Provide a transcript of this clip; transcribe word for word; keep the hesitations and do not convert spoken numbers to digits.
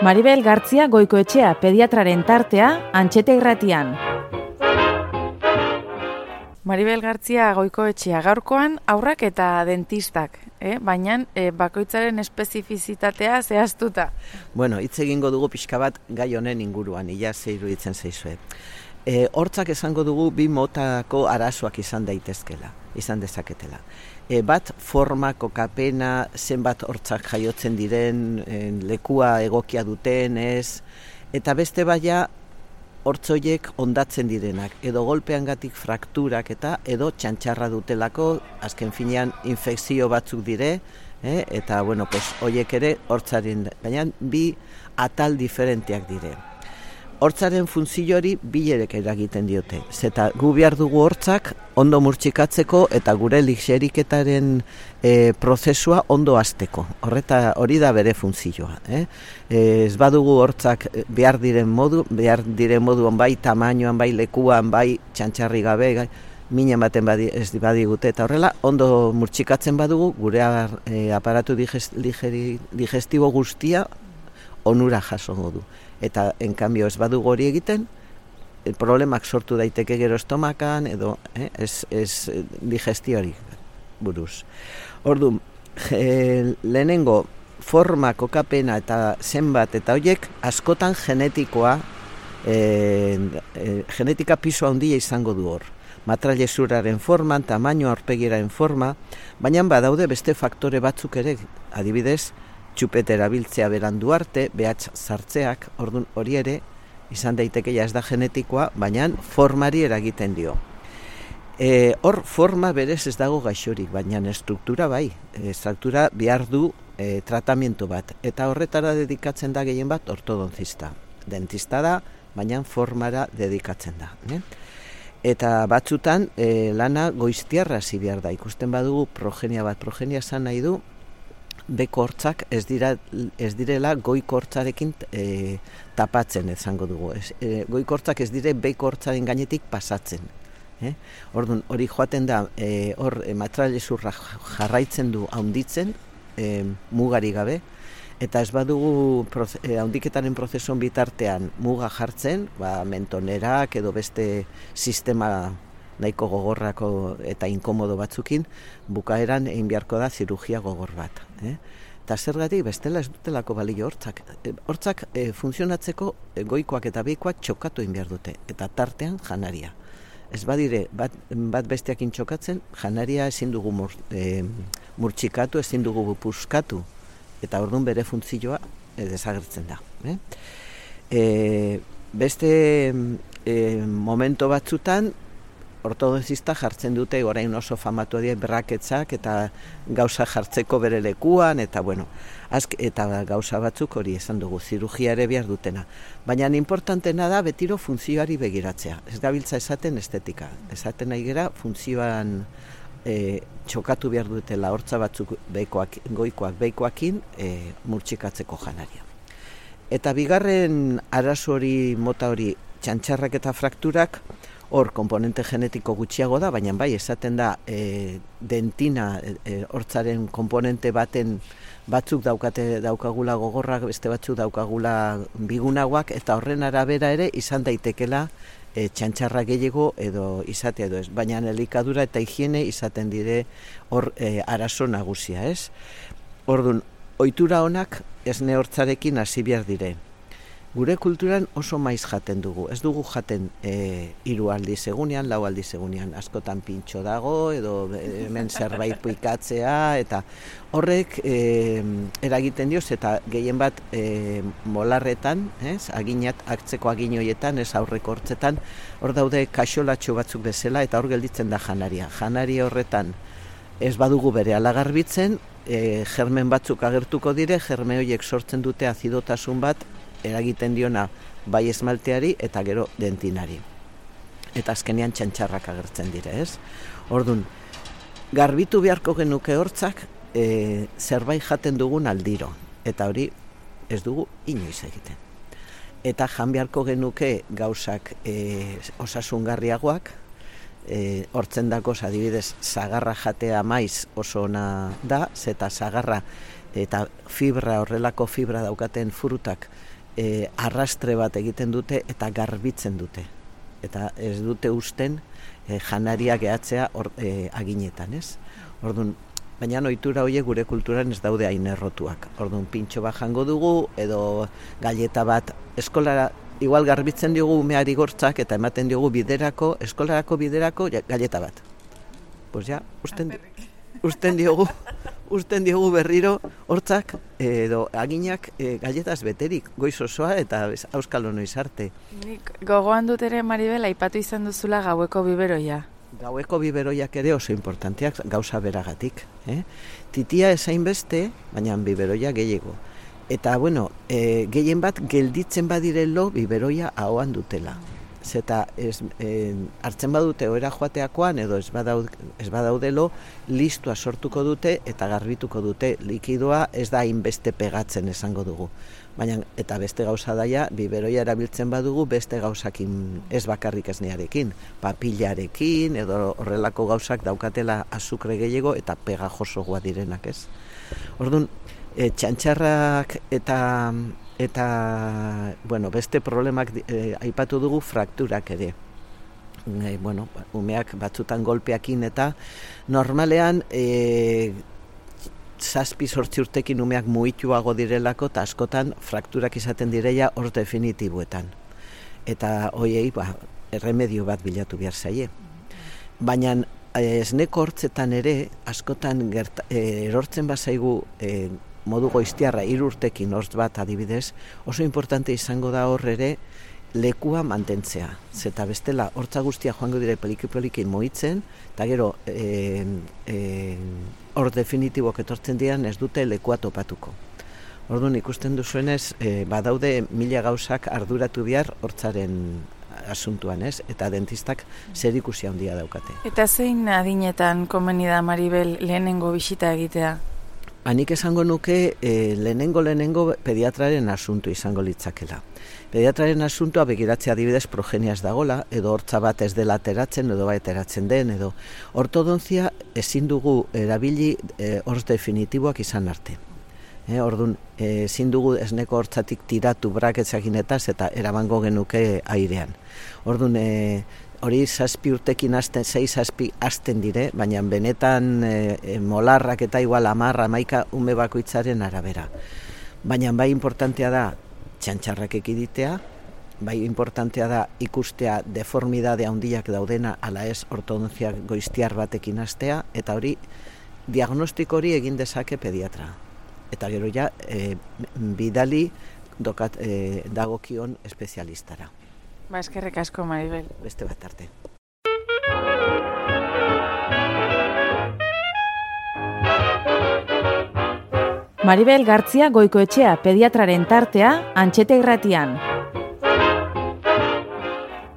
Maribel Gartzia Goikoetxea pediatraren tartea Antxeta Irratian. Maribel Gartzia Goikoetxea gaurkoan haurrak eta dentistak, eh? baina eh, bakoitzaren espezifizitatea zehaztuta. Bueno, hitz egingo dugu pixka bat gai honen inguruan, ia ze iruditzen zaizue. E, hortzak esango dugu bi motako arazoak izan daitezkela, izan dezaketela. E, bat forma, kokapena, zenbat hortzak jaiotzen diren, e, lekua egokia duten, ez, eta beste baia hortzoiek ondatzen direnak, edo golpeangatik frakturak eta edo txantxarra dutelako, azken finean infekzio batzuk dire, eh? eta bueno, pues, horiek ere hortzaren, baina bi atal diferenteak dire. Hortzaren funtzio hori bilerek eragiten diote. Zeta gu behar dugu hortzak ondo murtsikatzeko eta gure lixeriketaren e, prozesua ondo hasteko. Horreta hori da bere funtzioa. Eh? Ez badugu hortzak behar diren modu, behar diren moduan bai tamainoan, bai lekuan, bai txantxarri gabe, gai, mina ematen badi, ez badigute eta horrela ondo murtsikatzen badugu gure e, aparatu digest, ligeri, digestibo guztia onura jasongo du. Eta, en cambio, ez badugu hori egiten, problemak sortu daiteke gero estomakan, edo eh, ez, ez digestioari buruz. Ordu, e, lehenengo forma, kokapena eta zenbat eta horiek askotan genetikoa, e, e, genetika pisu handia izango du hor. Matrailezuraren forman, tamaino aurpegiraren forma, baina badaude beste faktore batzuk ere, adibidez, txupete erabiltzea berandu arte, behatz sartzeak, ordun hori ere, izan daiteke ja ez da genetikoa, baina formari eragiten dio. E, hor forma berez ez dago gaixorik, baina estruktura bai, e, estruktura behar du e, tratamiento bat, eta horretara dedikatzen da gehien bat ortodontista. Dentista da, baina formara dedikatzen da. Ne? Eta batzutan e, lana goiztiarra hasi behar da, ikusten badugu progenia bat, progenia esan nahi du, beko hortzak ez, dira, ez direla goiko hortzarekin e, tapatzen izango dugu. Ez, e, goiko hortzak ez dire beko hortzaren gainetik pasatzen. Eh? Orduan, hori joaten da, e, hor e, matrailezurra jarraitzen du haunditzen, e, mugari gabe, eta ez badugu proze, e, haundiketaren prozesuan bitartean muga jartzen, ba, mentonerak edo beste sistema nahiko gogorrako eta inkomodo batzukin, bukaeran egin beharko da zirugia gogor bat. Eh? Eta zergatik bestela ez dutelako balio hortzak. E, hortzak e, funtzionatzeko e, goikoak eta beikoak txokatu egin behar dute, eta tartean janaria. Ez badire, bat, bat besteakin txokatzen, janaria ezin dugu mur, e, murtsikatu, ezin dugu puskatu, eta orduan bere funtzioa e, desagertzen da. Eh? E, beste e, momento batzutan, ortodontista jartzen dute, orain oso famatu dira braketzak eta gauza jartzeko bere lekuan, eta bueno, azk, eta gauza batzuk hori esan dugu, zirugia ere behar dutena. Baina importantena da betiro funtzioari begiratzea. Ez gabiltza esaten estetika. Esaten nahi gera funtzioan e, txokatu behar dutela hortza batzuk beikoak, goikoak beikoakin e, murtsikatzeko janaria. Eta bigarren arazo hori, mota hori, txantxarrak eta frakturak, hor, komponente genetiko gutxiago da, baina bai, esaten da e, dentina, e, hortzaren komponente baten batzuk daukate daukagula gogorrak, beste batzuk daukagula bigunagoak, eta horren arabera ere izan daitekela e, txantxarra gehiago edo izatea edo ez. Baina elikadura eta higiene izaten dire hor e, arazo nagusia, ez? Orduan, ohitura onak esne hortzarekin hasi behar dire. Gure kulturan oso maiz jaten dugu. Ez dugu jaten e, hiru aldiz egunean, lau aldiz egunean. Askotan pintxo dago, edo hemen zerbait puikatzea, eta horrek e, eragiten dioz, eta gehien bat e, molarretan, ez, aginat, aktzeko agin horietan, ez aurreko hortzetan, hor daude kaxolatxo batzuk bezala, eta hor gelditzen da janaria. Janari horretan ez badugu bere alagarbitzen, e, germen batzuk agertuko dire, germe horiek sortzen dute azidotasun bat, eragiten diona bai esmalteari eta gero dentinari. Eta azkenean txantxarrak agertzen dire, ez? Orduan, garbitu beharko genuke hortzak e, zerbait jaten dugun aldiro. Eta hori ez dugu inoiz egiten. Eta jan beharko genuke gauzak e, osasungarriagoak, e, hortzen dakoz adibidez zagarra jatea maiz oso ona da, zeta zagarra eta fibra, horrelako fibra daukaten frutak e, arrastre bat egiten dute eta garbitzen dute. Eta ez dute usten e, janaria gehatzea or, e, aginetan, ez? Orduan, baina ohitura horiek gure kulturan ez daude hain errotuak. Orduan, pintxo bat jango dugu, edo galleta bat eskolara, igual garbitzen diogu umeari gortzak eta ematen diogu biderako, eskolarako biderako galleta bat. Pues ja, usten, usten diogu, usten diogu berriro hortzak edo aginak e, galletaz beterik, goiz osoa eta auskalo noiz arte. Nik gogoan dut ere, Maribel, aipatu izan duzula gaueko biberoia. Gaueko biberoiak ere oso importanteak gauza beragatik. Eh? Titia esain beste, baina biberoia gehiago. Eta, bueno, e, gehien bat gelditzen badirelo biberoia ahoan dutela. Zeta ez, e, hartzen badute oera joateakoan edo ez, badaud, ez badaudelo listua sortuko dute eta garbituko dute. Likidoa ez da hainbeste pegatzen esango dugu. Baina, eta beste gauza daia, biberoia erabiltzen badugu beste gauzakin, ez bakarrik esnearekin, papillarekin edo horrelako gauzak daukatela azukre gehiago eta pegajosoa direnak, ez? Orduan, E, txantxarrak eta eta bueno, beste problemak e, aipatu dugu frakturak ere. E, bueno, umeak batzutan golpeakin eta normalean e, zazpi sortzi urtekin umeak muituago direlako eta askotan frakturak izaten direia hor definitiboetan. Eta hoiei ba, erremedio bat bilatu behar zaie. Baina esneko hortzetan ere askotan gerta, e, erortzen bazaigu e, modu goiztiarra hiru urtekin hortz bat adibidez, oso importante izango da hor ere lekua mantentzea. Zeta bestela hortza guztia joango dire poliki-poliki moitzen, eta gero e, e, hor definitibok etortzen dian ez dute lekua topatuko. Orduan ikusten duzuenez, e, badaude mila gauzak arduratu behar hortzaren asuntuan, ez? Eta dentistak zerikusi handia daukate. Eta zein adinetan komeni da, Maribel, lehenengo bisita egitea? Hanik esango nuke e, lehenengo lehenengo pediatraren asuntu izango litzakela. Pediatraren asuntua begiratzea adibidez progeniaz dagola, edo hortza bat ez dela ateratzen, edo bai ateratzen den, edo ortodontzia ezin dugu erabili e, hortz definitiboak izan arte. E, Orduan, e, ezin dugu esneko hortzatik tiratu braketzakinetaz eta eramango genuke airean. Orduan, e, hori zazpi urtekin hasten, zei zazpi hasten dire, baina benetan e, molarrak eta igual amarra, maika ume bakoitzaren arabera. Baina bai importantea da txantxarrak ekiditea, bai importantea da ikustea deformidade handiak daudena ala ez ortodontzia goiztiar batekin hastea, eta hori diagnostiko hori egin dezake pediatra. Eta gero ja e, bidali dokat, e, dagokion espezialistara. Ba, eskerrik asko, Maribel. Beste bat arte. Maribel Gartzia Goikoetxea pediatraren tartea Antxete Irratian.